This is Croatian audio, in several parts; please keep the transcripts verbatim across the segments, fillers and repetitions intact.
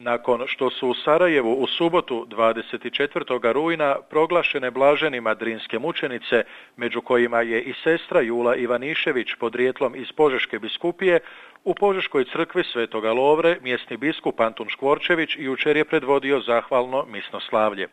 Nakon što su u Sarajevu u subotu dvadeset četvrtog rujna proglašene blaženima drinske mučenice, među kojima je i sestra Jula Ivanišević podrijetlom iz Požeške biskupije, u Požeškoj crkvi Svetoga Lovre mjesni biskup Antun Škvorčević jučer je predvodio zahvalno misno slavlje.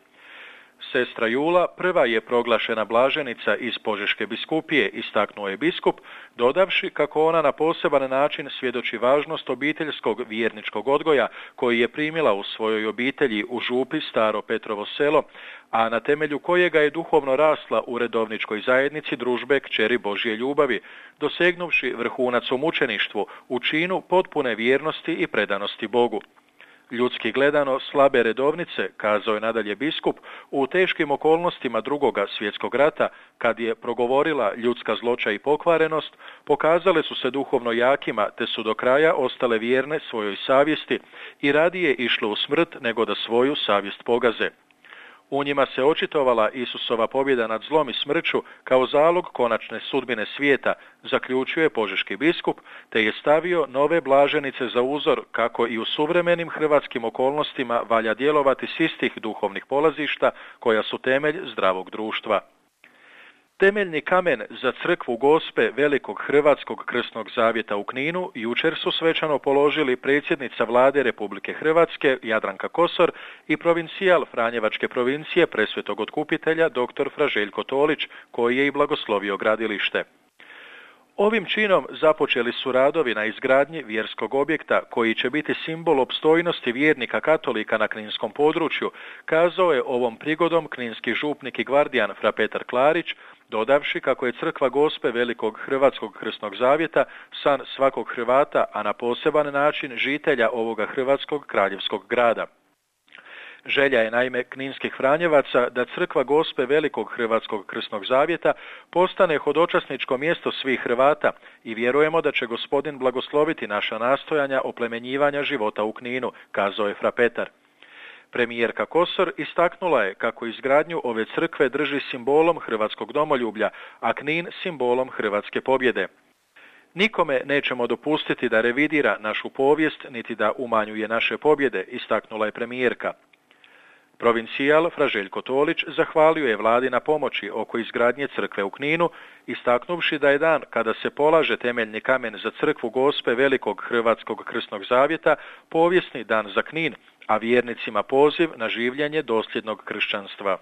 Sestra Jula prva je proglašena blaženica iz Požeške biskupije, istaknuo je biskup, dodavši kako ona na poseban način svjedoči važnost obiteljskog vjerničkog odgoja koji je primila u svojoj obitelji u župi Staro Petrovo selo, a na temelju kojega je duhovno rasla u redovničkoj zajednici družbe Kćeri Božje ljubavi, dosegnuvši vrhunac u mučeništvu, u činu potpune vjernosti i predanosti Bogu. Ljudski gledano slabe redovnice, kazao je nadalje biskup, u teškim okolnostima drugoga svjetskog rata, kad je progovorila ljudska zloća i pokvarenost, pokazale su se duhovno jakima, te su do kraja ostale vjerne svojoj savjesti i radije išle u smrt nego da svoju savjest pogaze. U njima se očitovala Isusova pobjeda nad zlom i smrću kao zalog konačne sudbine svijeta, zaključio je požeški biskup, te je stavio nove blaženice za uzor kako i u suvremenim hrvatskim okolnostima valja djelovati s istih duhovnih polazišta koja su temelj zdravog društva. Temeljni kamen za crkvu Gospe Velikog Hrvatskog krsnog zavjeta u Kninu jučer su svečano položili predsjednica Vlade Republike Hrvatske Jadranka Kosor i provincijal Franjevačke provincije Presvetog Otkupitelja dr. Fra Željko Tolić, koji je i blagoslovio gradilište. Ovim činom započeli su radovi na izgradnji vjerskog objekta koji će biti simbol opstojnosti vjernika katolika na kninskom području, kazao je ovom prigodom kninski župnik i gvardijan Fra Petar Klarić, dodavši kako je crkva Gospe Velikog Hrvatskog krsnog zavjeta san svakog Hrvata, a na poseban način žitelja ovoga hrvatskog kraljevskog grada. Želja je naime kninskih Franjevaca da crkva Gospe Velikog Hrvatskog krsnog zavjeta postane hodočasničko mjesto svih Hrvata i vjerujemo da će gospodin blagosloviti naša nastojanja oplemenjivanja života u Kninu, kazao je Fra Petar. Premijerka Kosor istaknula je kako izgradnju ove crkve drži simbolom hrvatskog domoljublja, a Knin simbolom hrvatske pobjede. Nikome nećemo dopustiti da revidira našu povijest, niti da umanjuje naše pobjede, istaknula je premijerka. Provincijal Fra Željko Tolić zahvalio je vladi na pomoći oko izgradnje crkve u Kninu, istaknuvši da je dan kada se polaže temeljni kamen za crkvu Gospe Velikog Hrvatskog krsnog zavjeta povijesni dan za Knin, a vjernicima poziv na življenje dosljednog kršćanstva.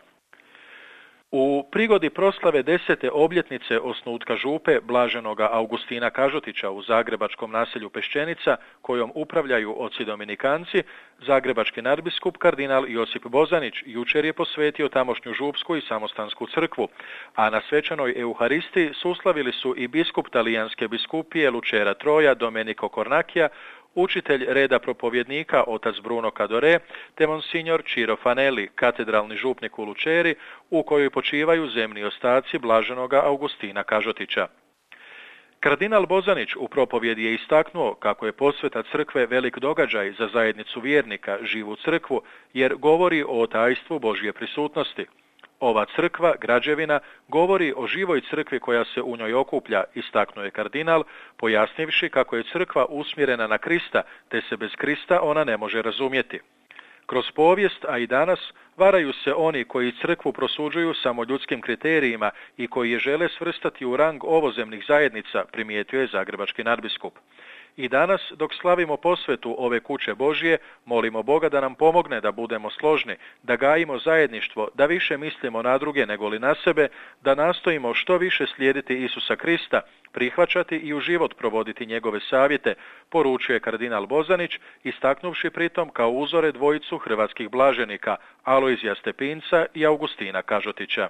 U prigodi proslave desete obljetnice osnutka župe blaženoga Augustina Kažotića u zagrebačkom naselju Peščenica, kojom upravljaju oci dominikanci, zagrebački nadbiskup kardinal Josip Bozanić jučer je posvetio tamošnju župsku i samostansku crkvu, a na svečanoj euharistiji suslavili su i biskup talijanske biskupije Lucera Troja Domenico Cornacchia, učitelj reda propovjednika otac Bruno Cadore, te monsignor Ciro Fanelli, katedralni župnik u Luceri, u kojoj počivaju zemni ostaci blaženoga Augustina Kažotića. Kardinal Bozanić u propovjedi je istaknuo kako je posveta crkve velik događaj za zajednicu vjernika, živu crkvu, jer govori o tajstvu Božje prisutnosti. Ova crkva, građevina, govori o živoj crkvi koja se u njoj okuplja, istaknuo je kardinal, pojasnivši kako je crkva usmjerena na Krista, te se bez Krista ona ne može razumjeti. Kroz povijest, a i danas, varaju se oni koji crkvu prosuđuju samo ljudskim kriterijima i koji je žele svrstati u rang ovozemnih zajednica, primijetio je zagrebački nadbiskup. I danas, dok slavimo posvetu ove kuće Božje, molimo Boga da nam pomogne da budemo složni, da gajimo zajedništvo, da više mislimo na druge nego li na sebe, da nastojimo što više slijediti Isusa Krista, prihvaćati i u život provoditi njegove savjete, poručuje kardinal Bozanić, istaknuvši pritom kao uzore dvojicu hrvatskih blaženika, Alojzija Stepinca i Augustina Kažotića.